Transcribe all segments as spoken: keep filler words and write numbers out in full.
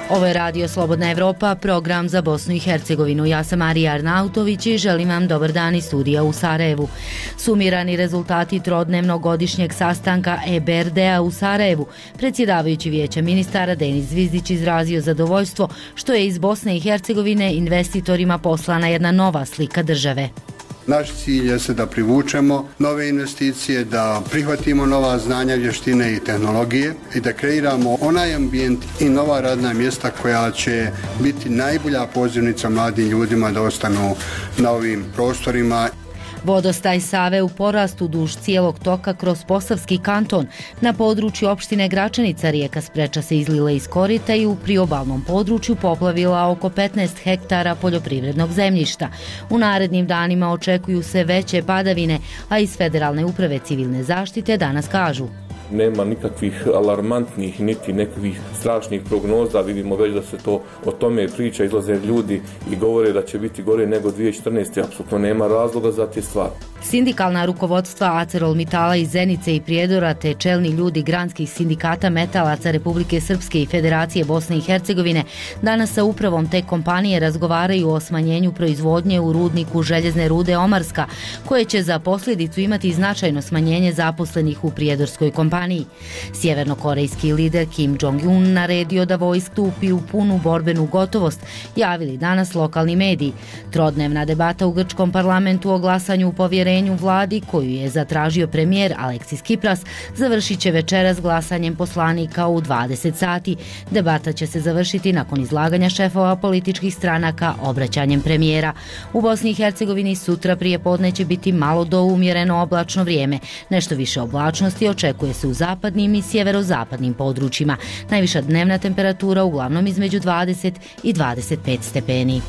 Ovo je Radio Slobodna Evropa, program za Bosnu i Hercegovinu. Ja sam Marija Arnautović i želim vam dobar dan iz studija u Sarajevu. Sumirani rezultati trodnevnog godišnjeg sastanka E B R D-a u Sarajevu. Predsjedavajući Vijeća ministara Denis Zvizdić izrazio zadovoljstvo što je iz Bosne i Hercegovine investitorima poslana jedna nova slika države. Naš cilj je se da privučemo nove investicije, da prihvatimo nova znanja, vještine i tehnologije i da kreiramo onaj ambijent i nova radna mjesta koja će biti najbolja pozivnica mladim ljudima da ostanu na ovim prostorima. Vodostaj Save u porastu duž cijelog toka kroz Posavski kanton. Na području opštine Gračanica rijeka Spreča se izlila iz korita i u priobalnom području poplavila oko petnaest hektara poljoprivrednog zemljišta. U narednim danima očekuju se veće padavine, a iz Federalne uprave civilne zaštite danas kažu: nema nikakvih alarmantnih niti nekakvih strašnih prognoza, vidimo već da se to o tome priča, izlaze ljudi i govore da će biti gore nego dvije tisuće četrnaeste. Apsolutno nema razloga za te stvari. Sindikalna rukovodstva ArcelorMittala iz Zenice i Prijedora te čelni ljudi granskih sindikata metalaca Republike Srpske i Federacije Bosne i Hercegovine danas sa upravom te kompanije razgovaraju o smanjenju proizvodnje u rudniku željezne rude Omarska, koje će za posljedicu imati značajno smanjenje zaposlenih u prijedorskoj kompaniji. Sjevernokorejski lider Kim Jong-un naredio da vojska stupi u punu borbenu gotovost, javili danas lokalni mediji. Trodnevna debata u grčkom parlamentu o glasanju u povjerenju vladi, koju je zatražio premijer Aleksis Tsipras, završit će večeras glasanjem poslanika u dvadeset sati. Debata će se završiti nakon izlaganja šefova političkih stranaka obraćanjem premijera. U Bosni i Hercegovini sutra prije podne će biti malo do umjereno oblačno vrijeme. Nešto više oblačnosti očekuje se u zapadnim i sjeverozapadnim područjima. Najviša dnevna temperatura uglavnom između dvadeset i dvadeset pet stepeni.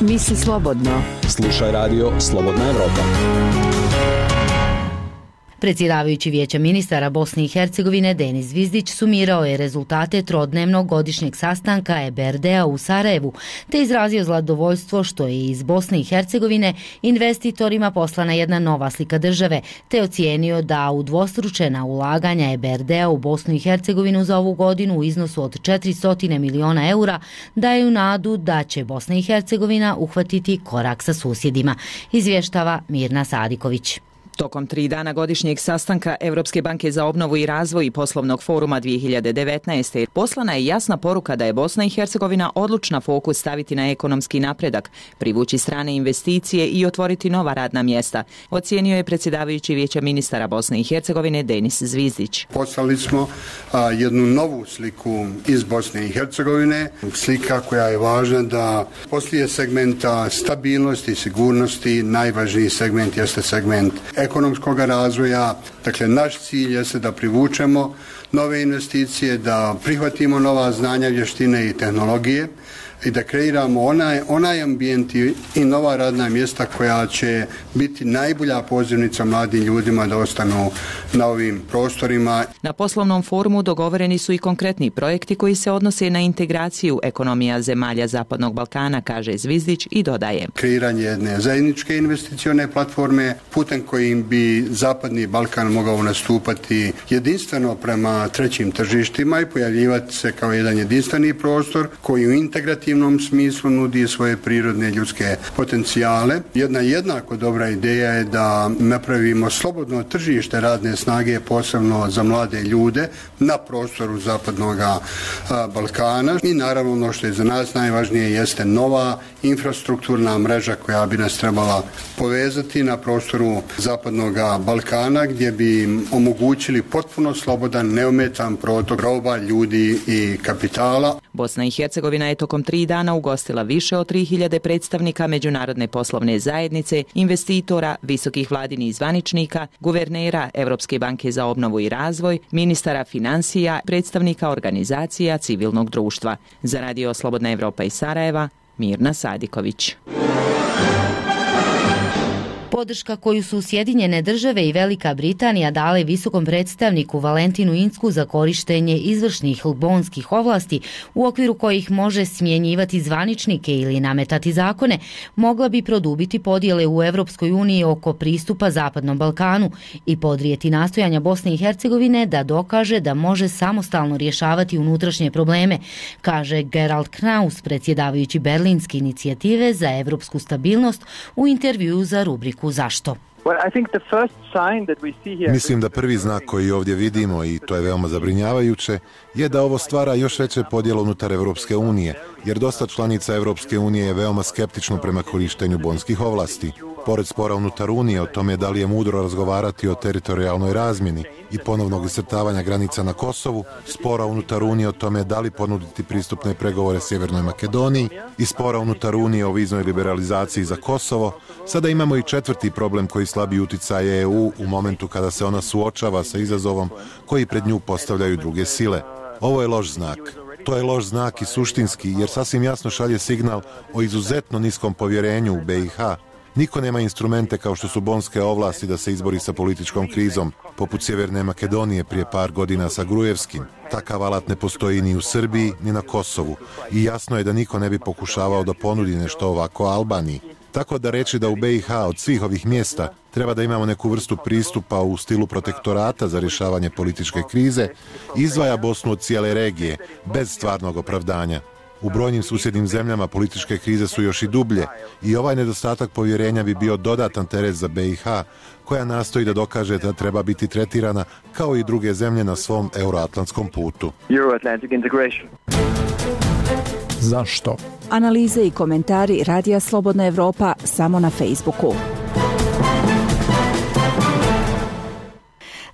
Misli slobodno. Slušaj radio Slobodna Evropa. Predsjedavajući Vijeća ministara Bosne i Hercegovine Denis Zvizdić sumirao je rezultate trodnevnog godišnjeg sastanka E B R D-a u Sarajevu, te izrazio zadovoljstvo što je iz Bosne i Hercegovine investitorima poslana jedna nova slika države, te ocijenio da udvostručena ulaganja E B R D-a u Bosnu i Hercegovinu za ovu godinu u iznosu od četiristo miliona eura daju nadu da će Bosna i Hercegovina uhvatiti korak sa susjedima, izvještava Mirna Sadiković. Tokom tri dana godišnjeg sastanka Evropske banke za obnovu i razvoj i poslovnog foruma dvije hiljade devetnaeste. poslana je jasna poruka da je Bosna i Hercegovina odlučna fokus staviti na ekonomski napredak, privući strane investicije i otvoriti nova radna mjesta, ocijenio je predsjedavajući Vijeća ministara Bosne i Hercegovine Denis Zvizdić. Poslali smo a, jednu novu sliku iz Bosne i Hercegovine, slika koja je važna da poslije segmenta stabilnosti i sigurnosti najvažniji segment jeste segment ekonomskog razvoja. Dakle, naš cilj je se da privučemo nove investicije, da prihvatimo nova znanja, vještine i tehnologije i da kreiramo onaj, onaj ambijent i, i nova radna mjesta koja će biti najbolja pozivnica mladim ljudima da ostanu na ovim prostorima. Na poslovnom forumu dogovoreni su i konkretni projekti koji se odnose na integraciju ekonomija zemalja Zapadnog Balkana, kaže Zvizdić i dodaje: kreiranje jedne zajedničke investicione platforme putem kojim bi Zapadni Balkan mogao nastupati jedinstveno prema trećim tržištima i pojavljivati se kao jedan jedinstveni prostor koji u integrativnom smislu nudi svoje prirodne ljudske potencijale. Jedna jednako dobra ideja je da napravimo slobodno tržište radne snage, posebno za mlade ljude na prostoru Zapadnog Balkana i naravno ono što je za nas najvažnije jeste nova infrastrukturna mreža koja bi nas trebala povezati na prostoru Zapadnog Balkana gdje bi omogućili potpuno slobodan, neometan protok roba, ljudi i kapitala. Bosna i Hercegovina je tokom tri dana ugostila više od tri hiljade predstavnika međunarodne poslovne zajednice, investitora, visokih vladinih zvaničnika, guvernera Evropske banke za obnovu i razvoj, ministara financija, predstavnika organizacija civilnog društva. Za Radio Slobodna Evropa iz Sarajeva, Mirna Sadiković. Podrška koju su Sjedinjene države i Velika Britanija dale visokom predstavniku Valentinu Incku za korištenje izvršnih bonskih ovlasti u okviru kojih može smjenjivati zvaničnike ili nametati zakone, mogla bi produbiti podjele u Europskoj uniji oko pristupa Zapadnom Balkanu i podrijeti nastojanja Bosne i Hercegovine da dokaže da može samostalno rješavati unutrašnje probleme, kaže Gerald Knaus, predsjedavajući Berlinske inicijative za evropsku stabilnost u intervjuu za rubriku Zašto? Mislim da prvi znak koji ovdje vidimo, i to je veoma zabrinjavajuće, je da ovo stvara još veće podjele unutar Europske unije, jer dosta članica Europske unije je veoma skeptično prema korištenju bonskih ovlasti. Pored spora unutar Unije o tome da li je mudro razgovarati o teritorijalnoj razmjeni i ponovnog iscrtavanja granica na Kosovu, spora unutar Unije o tome da li ponuditi pristupne pregovore Sjevernoj Makedoniji i spora unutar Unije o viznoj liberalizaciji za Kosovo, sada imamo i četvrti problem koji slabi utjecaj E U u momentu kada se ona suočava sa izazovom koji pred nju postavljaju druge sile. Ovo je loš znak. To je loš znak i suštinski, jer sasvim jasno šalje signal o izuzetno niskom povjerenju u B i H. Niko nema instrumente kao što su bonske ovlasti da se izbori sa političkom krizom, poput Sjeverne Makedonije prije par godina sa Grujevskim. Takav alat ne postoji ni u Srbiji, ni na Kosovu i jasno je da niko ne bi pokušavao da ponudi nešto ovako Albaniji. Tako da reći da u B i H od svih ovih mjesta treba da imamo neku vrstu pristupa u stilu protektorata za rješavanje političke krize, izdvaja Bosnu od cijele regije, bez stvarnog opravdanja. U brojnim susjednim zemljama političke krize su još i dublje i ovaj nedostatak povjerenja bi bio dodatan teret za B i H, koja nastoji da dokaže da treba biti tretirana kao i druge zemlje na svom euroatlantskom putu. Zašto? Analize i komentari Radija Slobodna Evropa samo na Facebooku.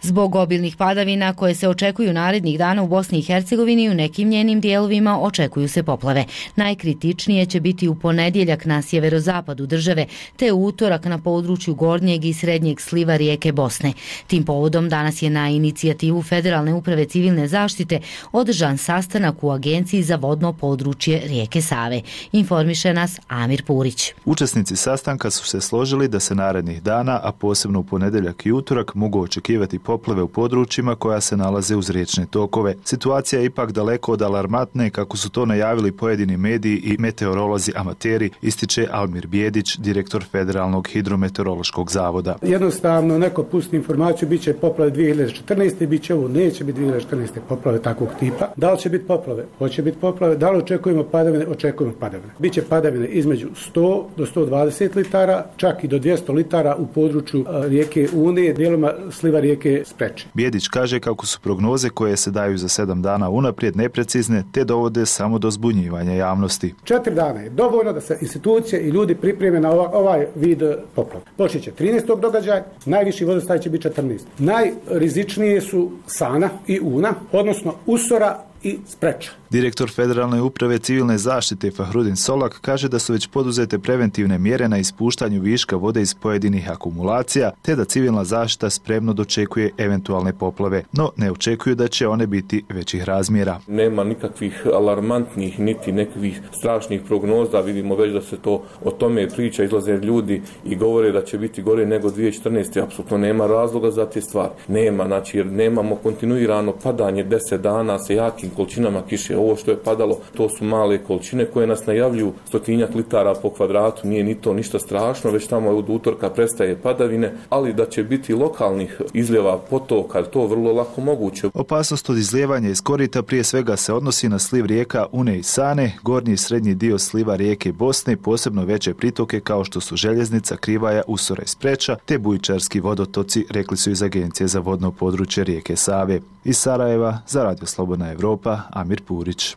Zbog obilnih padavina koje se očekuju narednih dana u Bosni i Hercegovini i u nekim njenim dijelovima očekuju se poplave. Najkritičnije će biti u ponedjeljak na sjeverozapadu države, te u utorak na području gornjeg i srednjeg sliva rijeke Bosne. Tim povodom danas je na inicijativu Federalne uprave civilne zaštite održan sastanak u Agenciji za vodno područje rijeke Save. Informiše nas Amir Purić. Učesnici sastanka su se složili da se narednih dana, a posebno u ponedjeljak i utorak, mogu očekivati poplave u područjima koja se nalaze uz riječne tokove. Situacija je ipak daleko od alarmantne, kako su to najavili pojedini mediji i meteorolozi amateri, ističe Almir Bijedić, direktor Federalnog hidrometeorološkog zavoda. Jednostavno, neko pusti informaciju, bit će poplave dvije hiljade četrnaeste. bit će ovo, neće biti dvije hiljade četrnaeste. poplave takvog tipa. Da li će biti poplave? Hoće biti poplave. Da li očekujemo padavine? Očekujemo padavine. Biće padavine između sto do sto dvadeset litara, čak i do dvjesto litara u području rijeke Une, dijeloma sliva rijeke Spreče. Bijedić kaže kako su prognoze koje se daju za sedam dana unaprijed neprecizne, te dovode samo do zbunjivanja javnosti. Četiri dana je dovoljno da se institucije i ljudi pripreme na ovaj, ovaj vid poplava. Počet će trinaestog događaj, najviši vodostaj će biti četrnaesti. Najrizičnije su Sana i Una, odnosno Usora i Spreča. Direktor Federalne uprave civilne zaštite Fahrudin Solak kaže da su već poduzete preventivne mjere na ispuštanju viška vode iz pojedinih akumulacija, te da civilna zaštita spremno dočekuje eventualne poplave, no ne očekuju da će one biti većih razmjera. Nema nikakvih alarmantnih niti nekakvih strašnih prognoza, vidimo već da se to o tome priča, izlaze ljudi i govore da će biti gore nego dvije hiljade četrnaeste. Apsolutno nema razloga za te stvari. Nema, znači jer nemamo kontinuirano padanje deset dana sa jakim količinama kiše. Ovo što je padalo, to su male količine koje nas najavljuju stotinjak litara po kvadratu, nije ni to ništa strašno, već tamo od utorka prestaje padavine, ali da će biti lokalnih izljeva potoka, to je vrlo lako moguće. Opasnost od izlijevanja iz korita prije svega se odnosi na sliv rijeka Une i Sane, gornji i srednji dio sliva rijeke Bosne, posebno veće pritoke kao što su Željeznica, Krivaja, Usora i Spreča, te bujičarski vodotoci, rekli su iz Agencije za vodno područje rijeke Save. Iz Sarajeva za Radio Slobodna Evropa, Amir Purić.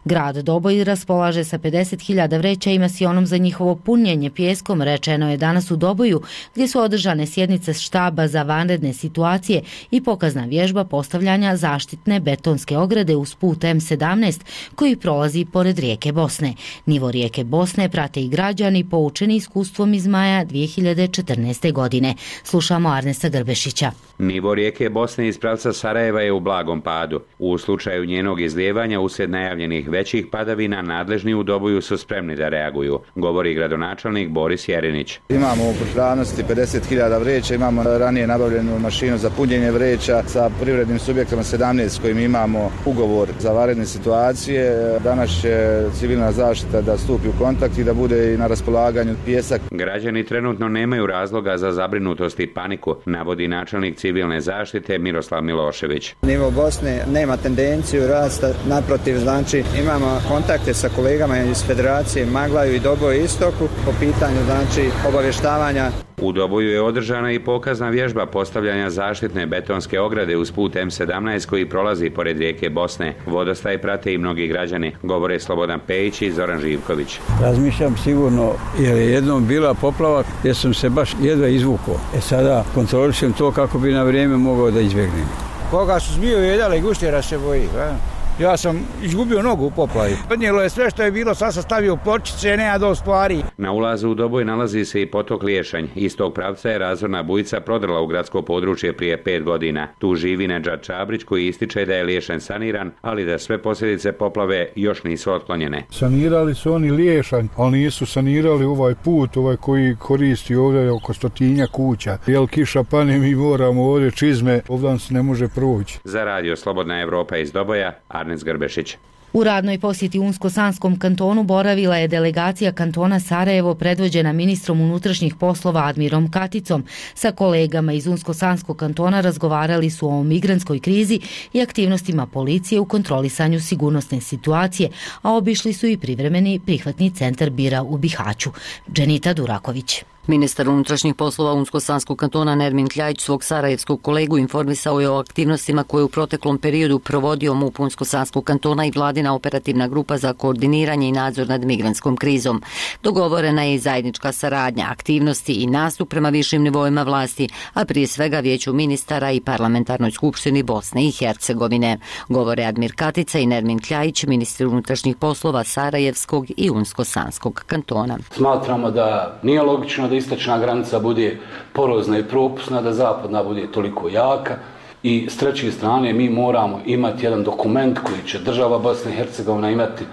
Grad Doboj raspolaže sa pedeset hiljada vreća i masionom za njihovo punjenje pijeskom, rečeno je danas u Doboju, gdje su održane sjednice štaba za vanredne situacije i pokazna vježba postavljanja zaštitne betonske ograde uz put M sedamnaest koji prolazi pored rijeke Bosne. Nivo rijeke Bosne prate i građani poučeni iskustvom iz maja dvije hiljade četrnaeste. godine. Slušamo Arnesta Grbešića. Nivo rijeke Bosne iz pravca Sarajeva je u blagom padu. U slučaju njenog izlijevanja uslijed najavljenih većih padavina nadležni u Doboju su spremni da reaguju, govori gradonačelnik Boris Jerinić. Imamo u pripravnosti pedeset hiljada vreća, imamo ranije nabavljenu mašinu za punjenje vreća, sa privrednim subjektima sedamnaest s kojim imamo ugovor za vanredne situacije. Danas će civilna zaštita da stupi u kontakt i da bude i na raspolaganju pijesak. Građani trenutno nemaju razloga za zabrinutost i paniku, navodi načelnik civilne zaštite Miroslav Milošević. Nivo Bosne nema tendenciju rasta, naprotiv, znači imamo kontakte sa kolegama iz Federacije Maglaju i Doboju Istoku po pitanju znači obavještavanja. U Doboju je održana i pokazna vježba postavljanja zaštitne betonske ograde uz put M sedamnaest koji prolazi pored rijeke Bosne. Vodostaj prate i mnogi građani, govore Slobodan Pejić i Zoran Živković. Razmišljam sigurno, jer je jednom bila poplava gdje sam se baš jedva izvukao. E sada kontrolišem to kako bi na vrijeme mogao da izbjegnem. Koga su zbio jedala i guštjera se boji, a? Ja sam izgubio nogu u poplavi. Podnijelo je sve što je bilo, sad sam stavio pločice, nema do stvari. Na ulazu u Doboj nalazi se i potok Liješanj. Iz tog pravca je razorna bujica prodrla u gradsko područje prije pet godina. Tu živi Nedžad Čabrić koji ističe da je Liješanj saniran, ali da sve posljedice poplave još nisu otklonjene. Sanirali su oni Liješanj, ali nisu sanirali ovaj put, ovaj koji koristi ovdje oko stotinja kuća. Jel kiša pane, mi moramo ovdje čizme, ovdje se ne može proći. Za radio Slobodna Evropa iz Doboja, Arnes Grbešić. U radnoj posjeti Unsko-Sanskom kantonu boravila je delegacija kantona Sarajevo predvođena ministrom unutrašnjih poslova Admirom Katicom. Sa kolegama iz Unsko-Sanskog kantona razgovarali su o migrantskoj krizi i aktivnostima policije u kontrolisanju sigurnosne situacije, a obišli su i privremeni prihvatni centar Bira u Bihaću. Dženita Duraković. Ministar unutrašnjih poslova Unsko-Sanskog kantona Nermin Kljajić svog sarajevskog kolegu informisao je o aktivnostima koje u proteklom periodu provodio MUP Unsko-Sanskog kantona i vladina operativna grupa za koordiniranje i nadzor nad migrantskom krizom. Dogovorena je i zajednička saradnja, aktivnosti i nastup prema višim nivoima vlasti, a prije svega Vijeću ministara i Parlamentarnoj skupštini Bosne i Hercegovine. Govore Admir Katica i Nermin Kljajić, ministri unutrašnjih poslova Sarajevskog i Unsko-Sanskog kantona. Smatramo da nije logično da istočna granica bude porozna i propusna, da zapadna bude toliko jaka i s treće strane mi moramo imati jedan dokument koji će država Bosna i Hercegovina imati,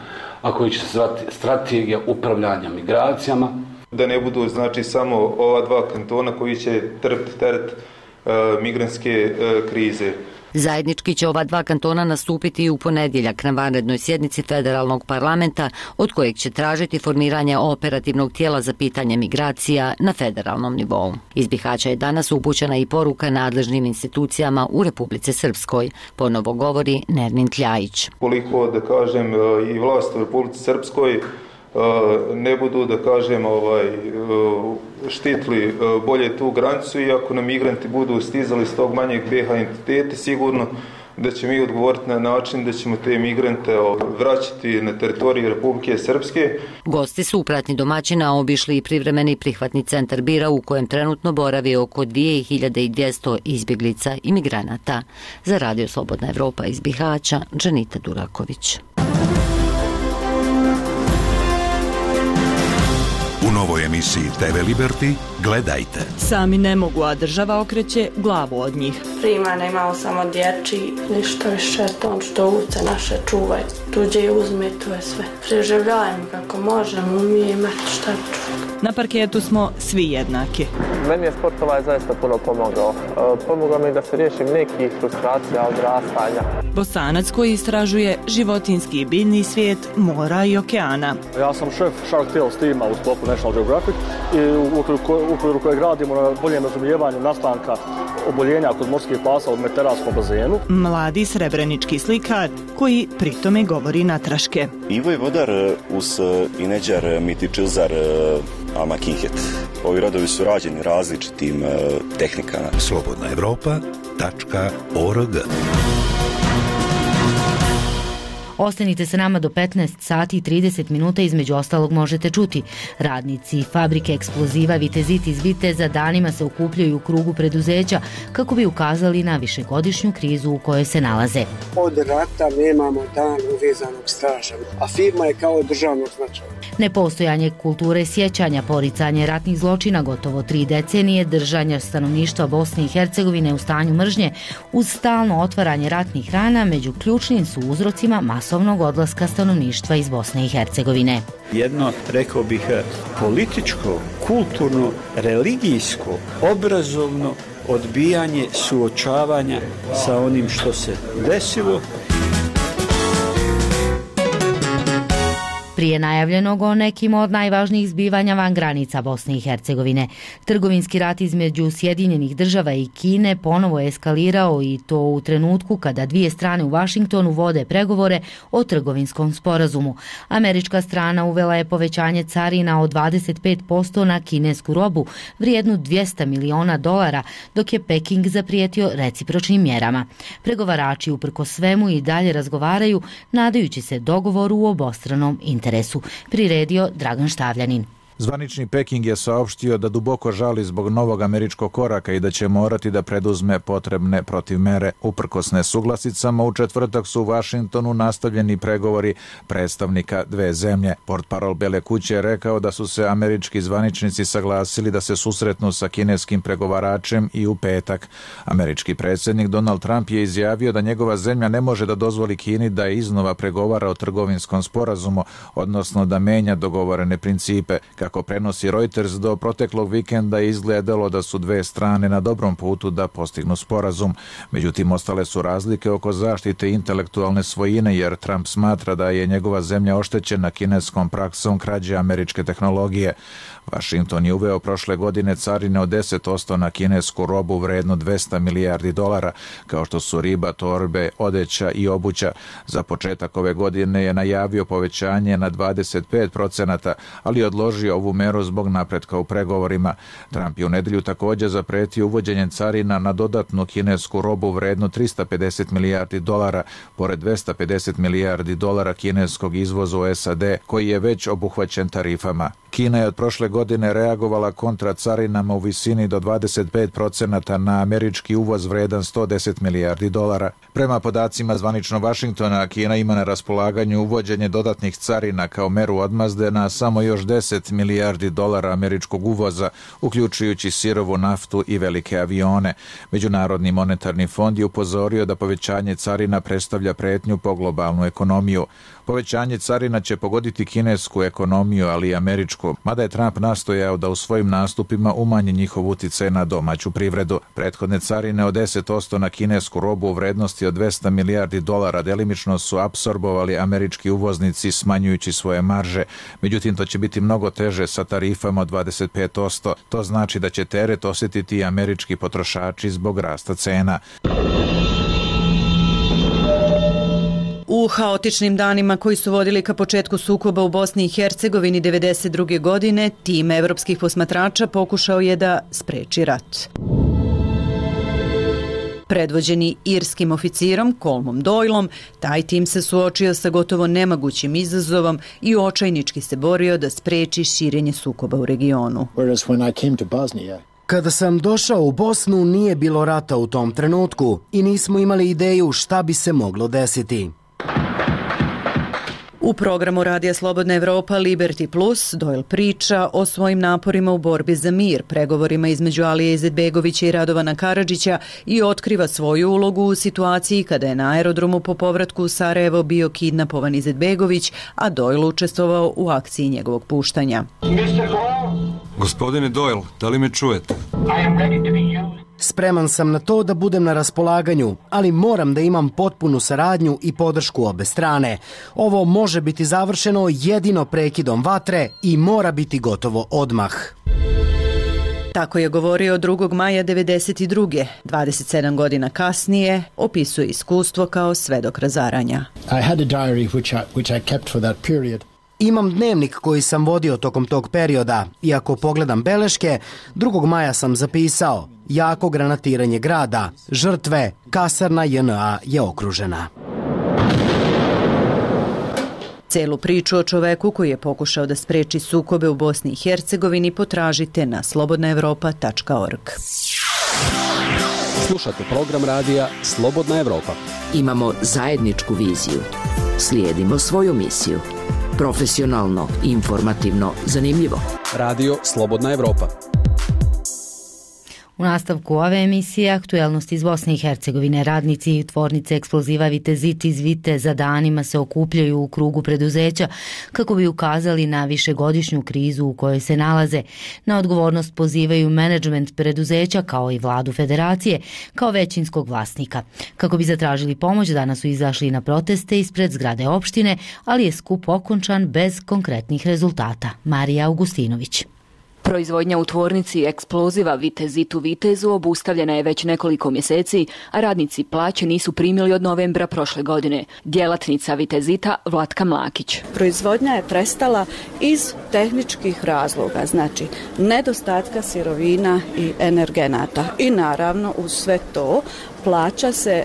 a koji će se zvati strategija upravljanja migracijama. Da ne budu znači samo ova dva kantona koji će trpiti teret e, migrantske e, krize. Zajednički će ova dva kantona nastupiti i u ponedjeljak na vanrednoj sjednici federalnog parlamenta, od kojeg će tražiti formiranje operativnog tijela za pitanje migracija na federalnom nivou. Iz Bihaća je danas upućena i poruka nadležnim institucijama u Republici Srpskoj, ponovo govori Nermin Kljajić. Koliko da kažem i vlast u Republici Srpskoj ne budu da kažem ovaj štitili bolje tu granicu i ako nam migranti budu stizali s tog manjeg B H entiteta, sigurno da ćemo mi odgovoriti na način da ćemo te migrante vraćati na teritoriju Republike Srpske. Gosti su u pratnji domaćina obišli i privremeni prihvatni centar Bira u kojem trenutno boravi oko dvije hiljade dvjesto izbjeglica i migranata. Za radio Slobodna Evropa iz Bihaća, Dženita Duraković. U novoj emisiji T V Liberty gledajte. Sami ne mogu, a država okreće glavu od njih. Primana imao samo dječji, ništa više, on što uce naše čuvaj, tuđe uzme, to je sve. Preživljajmo kako možemo, umije imati šta čuti. Na parketu smo svi jednaki. Meni je sport ovaj zaista puno pomogao. Pomogao mi da se riješim nekih frustracija od rastanja. Bosanac koji istražuje životinjski i biljni svijet mora i okeana. Ja sam šef Shark Tales tima u sklopu National Geographic i u okviru kojeg radimo na boljem razumijevanju nastanka oboljenja kod morskih pasa u mediteranskom bazenu. Mladi srebrenički slikar koji pritome govori natraške. Ivo je vodar uz Ineđar Mitičilzar Almakinhet. Ovi rodovi su rađeni različitim tehnikama. Slobodna Evropa tačka org. Ostanite sa nama do petnaest sati i trideset minuta, između ostalog možete čuti. Radnici fabrike eksploziva Vitezit iz Viteza danima se okupljaju u krugu preduzeća kako bi ukazali na višegodišnju krizu u kojoj se nalaze. Od rata nemamo dan uvezanog straža, a firma je kao državnog značaja. Nepostojanje kulture sjećanja, poricanje ratnih zločina, gotovo tri decenije držanja stanovništva Bosne i Hercegovine u stanju mržnje uz stalno otvaranje ratnih rana među ključnim su uzrocima masovnog masovnog odlaska stanovništva iz Bosne i Hercegovine. Jedno, rekao bih, političko, kulturno, religijsko, obrazovno odbijanje suočavanja sa onim što se desilo. Prije najavljenog o nekim od najvažnijih zbivanja van granica Bosne i Hercegovine. Trgovinski rat između Sjedinjenih država i Kine ponovo je eskalirao i to u trenutku kada dvije strane u Vašingtonu vode pregovore o trgovinskom sporazumu. Američka strana uvela je povećanje carina od dvadeset pet posto na kinesku robu vrijednu dvjesto miliona dolara, dok je Peking zaprijetio recipročnim mjerama. Pregovarači uprko svemu i dalje razgovaraju, nadajući se dogovoru u obostranom interesu. Priredio Dragan Štavljanin. Zvanični Peking je saopštio da duboko žali zbog novog američkog koraka i da će morati da preduzme potrebne protivmere. Uprkos nesuglasicama, u četvrtak su u Vašingtonu nastavljeni pregovori predstavnika dve zemlje. Portparol Bele kuće je rekao da su se američki zvaničnici saglasili da se susretnu sa kineskim pregovaračem i u petak. Američki predsjednik Donald Trump je izjavio da njegova zemlja ne može da dozvoli Kini da iznova pregovara o trgovinskom sporazumu, odnosno da menja dogovorene principe. Kako prenosi Reuters, do proteklog vikenda je izgledalo da su dve strane na dobrom putu da postignu sporazum. Međutim, ostale su razlike oko zaštite intelektualne svojine, jer Trump smatra da je njegova zemlja oštećena kineskom praksom krađe američke tehnologije. Washington je uveo prošle godine carine od deset posto na kinesku robu vrednu dvjesto milijardi dolara, kao što su riba, torbe, odeća i obuća. Za početak ove godine je najavio povećanje na dvadeset pet procenata, ali odložio ovu meru zbog napretka u pregovorima. Trump je u nedjelju također zapretio uvođenje carina na dodatnu kinesku robu vrednu tristo pedeset milijardi dolara, pored dvjesto pedeset milijardi dolara kineskog izvoza u S A D, koji je već obuhvaćen tarifama. Kina je od prošle godine reagovala kontra carinama u visini do dvadeset pet procenata na američki uvoz vredan sto deset milijardi dolara. Prema podacima zvanično Vašingtona, Kina ima na raspolaganju uvođenje dodatnih carina kao meru odmazde na samo još deset milijardi dolara američkog uvoza, uključujući sirovu naftu i velike avione. Međunarodni monetarni fond je upozorio da povećanje carina predstavlja pretnju po globalnu ekonomiju. Povećanje carina će pogoditi kinesku ekonomiju, ali i američku, mada je Trump nastojao da u svojim nastupima umanji njihov uticaj na domaću privredu. Prethodne carine od deset posto na kinesku robu u vrednosti od dvjesto milijardi dolara delimično su apsorbovali američki uvoznici smanjujući svoje marže. Međutim, to će biti mnogo teže sa tarifama od dvadeset pet posto. To znači da će teret osjetiti i američki potrošači zbog rasta cena. U haotičnim danima koji su vodili ka početku sukoba u Bosni i Hercegovini devedeset druge godine, tim evropskih posmatrača pokušao je da spreči rat. Predvođeni irskim oficirom Colmom Doylom, taj tim se suočio sa gotovo nemogućim izazovom i očajnički se borio da spreči širenje sukoba u regionu. Kada sam došao u Bosnu, nije bilo rata u tom trenutku i nismo imali ideju šta bi se moglo desiti. U programu Radija Slobodna Evropa Liberty Plus Doyle priča o svojim naporima u borbi za mir, pregovorima između Alije Izetbegovića i Radovana Karadžića i otkriva svoju ulogu u situaciji kada je na aerodromu po povratku u Sarajevo bio kidnapovan Izetbegović, a Doyle učestvovao u akciji njegovog puštanja. Gospodine Doyle, da li me čujete? Spreman sam na to da budem na raspolaganju, ali moram da imam potpunu saradnju i podršku obe strane. Ovo može biti završeno jedino prekidom vatre i mora biti gotovo odmah. Tako je govorio drugog maja devedeset druge. dvadeset sedam godina kasnije opisuje iskustvo kao svedok razaranja. I had a diary which I, which I kept for that period. Imam dnevnik koji sam vodio tokom tog perioda i ako pogledam beleške, drugog maja sam zapisao: jako granatiranje grada, žrtve, kasarna J N A je okružena. Celu priču o čoveku koji je pokušao da spreči sukobe u Bosni i Hercegovini potražite na slobodna evropa tačka org. Slušate program radija Slobodna Evropa. Imamo zajedničku viziju. Slijedimo svoju misiju. Profesionalno, informativno, zanimljivo. Radio Slobodna Evropa. U nastavku ove emisije aktuelnosti iz Bosne i Hercegovine. Radnici tvornice eksploziva Vitezit iz Viteza danima se okupljaju u krugu preduzeća kako bi ukazali na višegodišnju krizu u kojoj se nalaze. Na odgovornost pozivaju menadžment preduzeća kao i vladu federacije kao većinskog vlasnika. Kako bi zatražili pomoć, danas su izašli na proteste ispred zgrade opštine, ali je skup okončan bez konkretnih rezultata. Marija Augustinović. Proizvodnja u tvornici eksploziva Vitezit u Vitezu obustavljena je već nekoliko mjeseci, a radnici plaće nisu primili od novembra prošle godine. Djelatnica Vitezita Vlatka Mlakić. Proizvodnja je prestala iz tehničkih razloga, znači nedostatka sirovina i energenata. I naravno uz sve to plaća se e,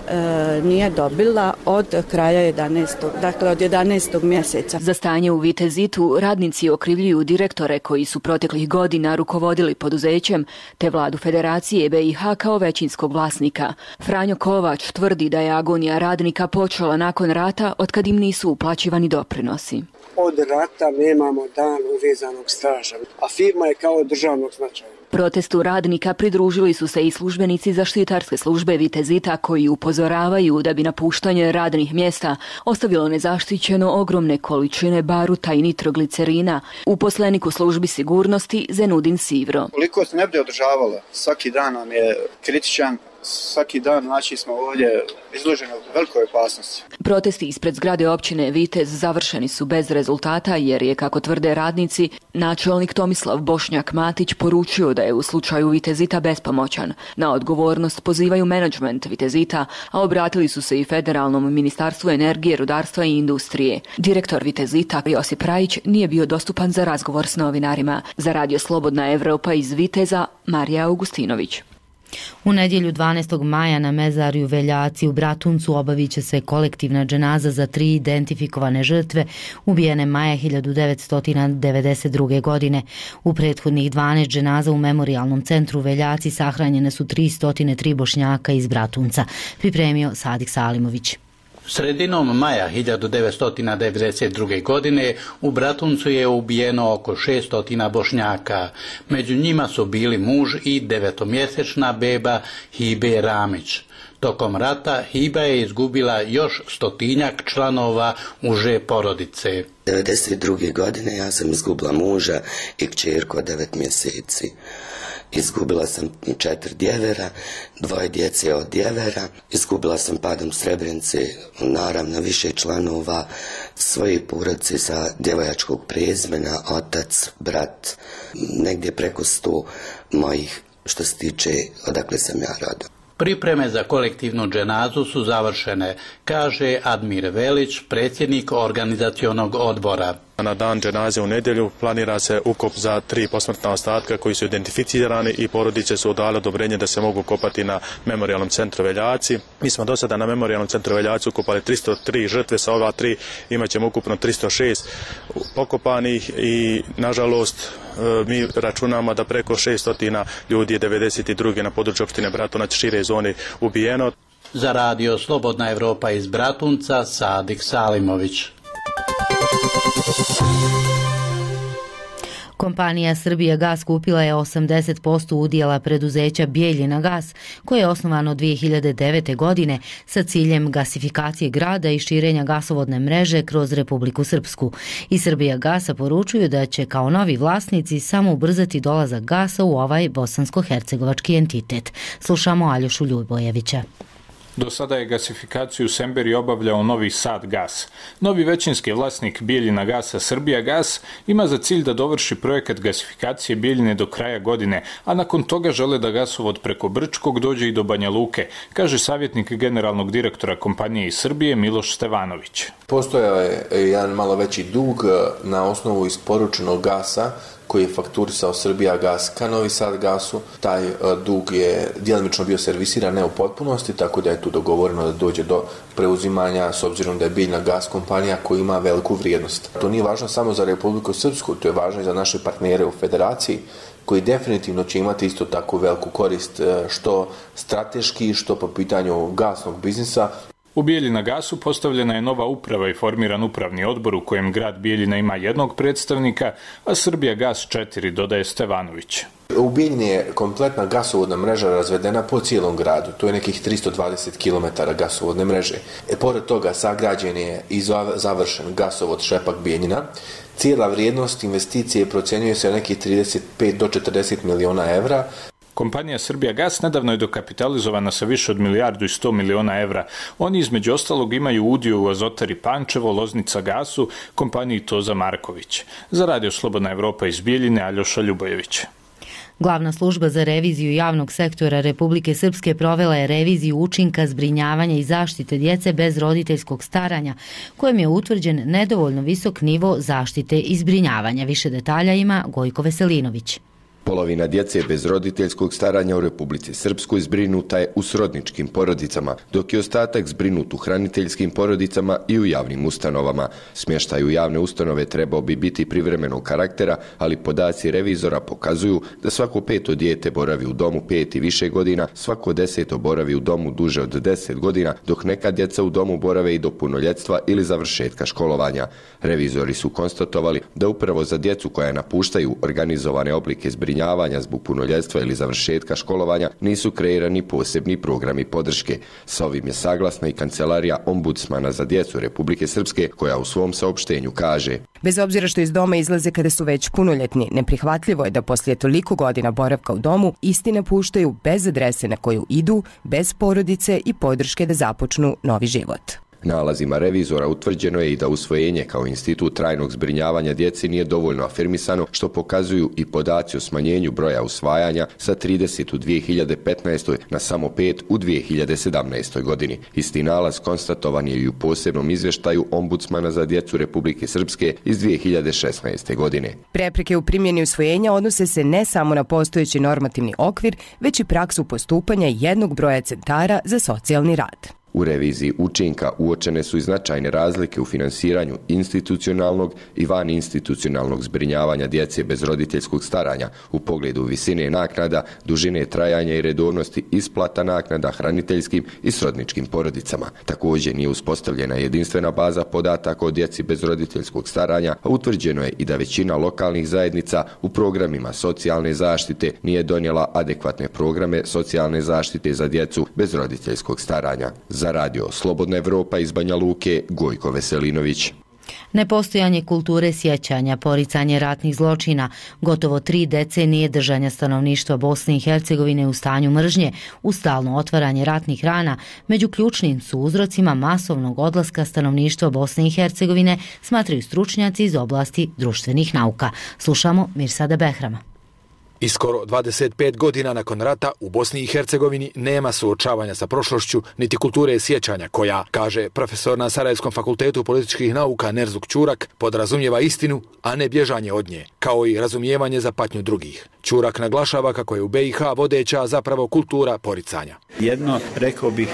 nije dobila od kraja jedanaestog dakle od jedanaestog mjeseca. Za stanje u Vitezitu radnici okrivljuju direktore koji su proteklih godina rukovodili poduzećem, te vladu Federacije B i H kao većinskog vlasnika. Franjo Kovač tvrdi da je agonija radnika počela nakon rata, otkad im nisu uplaćivani doprinosi. Od rata nemamo dan uvezanog staža, a firma je kao državnog značaja. Protestu radnika pridružili su se i službenici zaštitarske službe Vitezita koji upozoravaju da bi napuštanje radnih mjesta ostavilo nezaštićeno ogromne količine baruta i nitroglicerina. Uposlenik u službi sigurnosti Zenudin Sivro. Koliko se ne bude održavalo, svaki dan nam je kritičan. Svaki dan znači smo ovdje izloženi velikoj opasnosti. Protesti ispred zgrade općine Vitez završeni su bez rezultata jer je, kako tvrde radnici, načelnik Tomislav Bošnjak Matić poručio da je u slučaju Vitezita bespomoćan. Na odgovornost pozivaju menadžment Vitezita, a obratili su se i Federalnom ministarstvu energije, rudarstva i industrije. Direktor Vitezita Josip Rajić nije bio dostupan za razgovor s novinarima. Za Radio Slobodna Evropa iz Viteza, Marija Augustinović. U nedjelju dvanaestog maja na mezarju Veljaci u Bratuncu obavit će se kolektivna dženaza za tri identifikovane žrtve ubijene maja hiljadu devetsto devedeset druge. godine. U prethodnih dvanaest dženaza u memorijalnom centru Veljaci sahranjene su tristo tri Bošnjaka iz Bratunca, pripremio Sadik Salimović. Sredinom maja hiljadu devetsto devedeset druge. godine u Bratuncu je ubijeno oko šesto Bošnjaka. Među njima su bili muž i devetomjesečna beba Hibe Ramić. Tokom rata Hiba je izgubila još stotinjak članova uže porodice. devedeset druge. godine ja sam izgubila muža i kćerku od devet mjeseci. Izgubila sam četiri djevera, dvoje djece od djevera. Izgubila sam padom Srebrenice, naravno više članova svoje porodice sa djevojačkog prezimena, otac, brat, negdje preko sto mojih što se tiče odakle sam ja rodom. Pripreme za kolektivnu dženazu su završene, kaže Admir Velić, predsjednik organizacionog odbora. Na dan dženaze u nedjelju planira se ukop za tri posmrtna ostatka koji su identificirani i porodice su dale odobrenje da se mogu kopati na memorijalnom centru Veljaci. Mi smo do sada na memorijalnom centru Veljaci ukopali tristo tri žrtve, sa ova tri imat ćemo ukupno tristo šest pokopanih i nažalost mi računamo da preko šesto ljudi je devedeset druge. na području opštine Bratunac šire zone ubijeno. Za Radio Slobodna Evropa iz Bratunca, Sadik Salimović. Kompanija Srbija gas kupila je osamdeset posto udjela preduzeća Bijeljina gas, koje je osnovano dvije hiljade devete. godine sa ciljem gasifikacije grada i širenja gasovodne mreže kroz Republiku Srpsku. I Srbija gasa poručuju da će kao novi vlasnici samo ubrzati dolazak gasa u ovaj bosansko-hercegovački entitet. Slušamo Aljošu Ljubojevića. Do sada je gasifikaciju Semberi obavljao Novi Sad gas. Novi većinski vlasnik Bijeljina gasa Srbija gas ima za cilj da dovrši projekat gasifikacije Bijeljine do kraja godine, a nakon toga žele da gasovod preko Brčkog dođe i do Banja Luke, kaže savjetnik generalnog direktora kompanije iz Srbije Miloš Stevanović. Postojao je jedan malo veći dug na osnovu isporučenog gasa koji je fakturisao Srbija gas ka Novi Sad gasu. Taj dug je djelomično bio servisiran, ne u potpunosti, tako da je tu dogovoreno da dođe do preuzimanja s obzirom da je Bijeljina gas kompanija koja ima veliku vrijednost. To nije važno samo za Republiku Srpsku, to je važno i za naše partnere u federaciji koji definitivno će imati isto tako veliku korist što strateški, što po pitanju gasnog biznisa. U Bijeljina gasu postavljena je nova uprava i formiran upravni odbor u kojem grad Bijeljina ima jednog predstavnika, a Srbija gas četiri, dodaje Stevanović. U Bijeljini je kompletna gasovodna mreža razvedena po cijelom gradu. To je nekih tristo dvadeset kilometara gasovodne mreže. E, pored toga sagrađen je i završen gasovod Šepak-Bijeljina. Cijela vrijednost investicije procjenjuje se na nekih trideset pet do četrdeset miliona evra. Kompanija Srbija Gas nedavno je dokapitalizovana sa više od milijardu i sto miliona evra. Oni između ostalog imaju udio u Azotari Pančevo, Loznica Gasu, kompaniji Toza Marković. Za Radio Slobodna Evropa iz Bijeljine, Aljoša Ljubojević. Glavna služba za reviziju javnog sektora Republike Srpske provela je reviziju učinka zbrinjavanja i zaštite djece bez roditeljskog staranja, kojem je utvrđen nedovoljno visok nivo zaštite i zbrinjavanja. Više detalja ima Gojko Veselinović. Polovina djece bez roditeljskog staranja u Republici Srpskoj zbrinuta je u srodničkim porodicama, dok je ostatak zbrinut u hraniteljskim porodicama i u javnim ustanovama. Smještaj u javne ustanove trebao bi biti privremenog karaktera, ali podaci revizora pokazuju da svako peto dijete boravi u domu pet i više godina, svako deseto boravi u domu duže od deset godina, dok neka djeca u domu borave i do punoljetstva ili završetka školovanja. Revizori su konstatovali da upravo za djecu koja napuštaju organizovane oblike zbrinjavanja zbog punoljetstva ili završetka školovanja nisu kreirani posebni programi podrške. Sa ovim je saglasna i Kancelarija ombudsmana za djecu Republike Srpske, koja u svom saopštenju kaže: bez obzira što iz doma izlaze kada su već punoljetni, neprihvatljivo je da poslije toliko godina boravka u domu isti napuštaju bez adrese na koju idu, bez porodice i podrške da započnu novi život. Nalazima revizora utvrđeno je i da usvojenje kao institut trajnog zbrinjavanja djeci nije dovoljno afirmisano, što pokazuju i podaci o smanjenju broja usvajanja sa trideset u dvije hiljade petnaestoj na samo pet u dvije hiljade sedamnaestoj godini. Isti nalaz konstatovan je i u posebnom izvještaju ombudsmana za djecu Republike Srpske iz dvije hiljade šesnaeste. godine. Prepreke u primjeni usvojenja odnose se ne samo na postojeći normativni okvir, već i praksu postupanja jednog broja centara za socijalni rad. U reviziji učinka uočene su i značajne razlike u finansiranju institucionalnog i van institucionalnog zbrinjavanja djece bez roditeljskog staranja u pogledu visine naknada, dužine trajanja i redovnosti isplata naknada hraniteljskim i srodničkim porodicama. Također nije uspostavljena jedinstvena baza podataka o djeci bez roditeljskog staranja, a utvrđeno je i da većina lokalnih zajednica u programima socijalne zaštite nije donijela adekvatne programe socijalne zaštite za djecu bez roditeljskog staranja. Za Radio Slobodna Evropa iz Banja Luke, Gojko Veselinović. Nepostojanje kulture sjećanja, poricanje ratnih zločina, gotovo tri decenije držanja stanovništva Bosne i Hercegovine u stanju mržnje, u stalno otvaranje ratnih rana, među ključnim su uzrocima masovnog odlaska stanovništva Bosne i Hercegovine, smatraju stručnjaci iz oblasti društvenih nauka. Slušamo Mirsada Behrama. I skoro dvadeset pet godina nakon rata u Bosni i Hercegovini nema suočavanja sa prošlošću niti kulture sjećanja koja, kaže profesor na Sarajevskom fakultetu političkih nauka Nerzuk Ćurak, podrazumijeva istinu, a ne bježanje od nje, kao i razumijevanje za patnju drugih. Ćurak naglašava kako je u be i ha vodeća zapravo kultura poricanja. Jedno, rekao bih,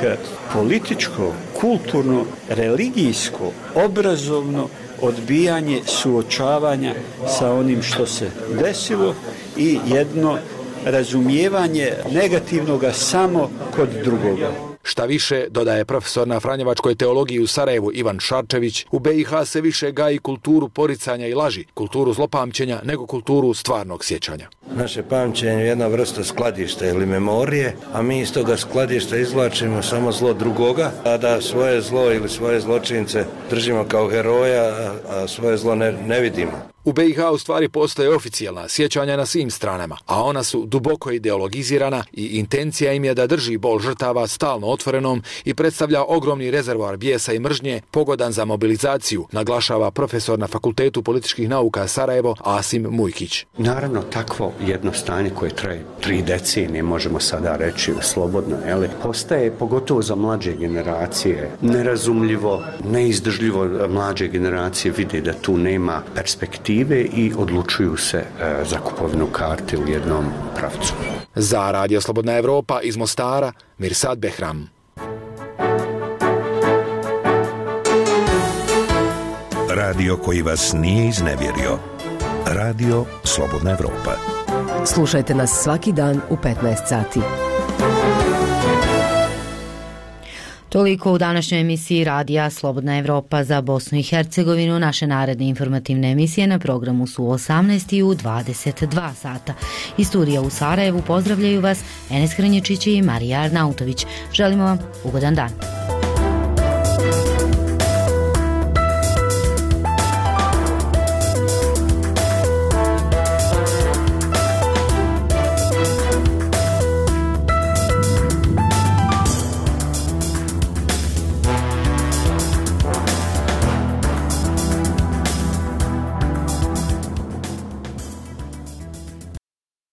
političko, kulturno, religijsko, obrazovno odbijanje suočavanja sa onim što se desilo i jedno razumijevanje negativnoga samo kod drugoga. Šta više, dodaje profesor na Franjevačkoj teologiji u Sarajevu Ivan Šarčević, u be i ha se više gaji kulturu poricanja i laži, kulturu zlopamćenja, nego kulturu stvarnog sjećanja. Naše pamćenje je jedna vrsta skladišta ili memorije, a mi iz toga skladišta izvlačimo samo zlo drugoga, a da svoje zlo ili svoje zločince držimo kao heroja, a svoje zlo ne, ne vidimo. U be i ha u stvari postoje oficijalna sjećanja na svim stranama, a ona su duboko ideologizirana i intencija im je da drži bol žrtava stalno otvorenom i predstavlja ogromni rezervoar bijesa i mržnje pogodan za mobilizaciju, naglašava profesor na Fakultetu političkih nauka Sarajevo Asim Mujkić. Naravno, takvo jedno stanje koje traje tri decenije, možemo sada reći slobodno, jeli, postaje pogotovo za mlađe generacije nerazumljivo, neizdržljivo. Mlađe generacije vide da tu nema perspektive i odlučuju se e, za kupovinu karte u jednom pravcu. Za Radio Slobodna Evropa iz Mostara, Mirsad Behram. Radio koji vas nije iznevjerio. Radio Slobodna Evropa. Slušajte nas svaki dan u petnaest sati. Toliko u današnjoj emisiji Radija Slobodna Evropa za Bosnu i Hercegovinu. Naše naredne informativne emisije na programu su u osamnaest i u dvadeset dva sata. Iz studija u Sarajevu pozdravljaju vas Enes Hrnječić i Marija Arnautović. Želimo vam ugodan dan.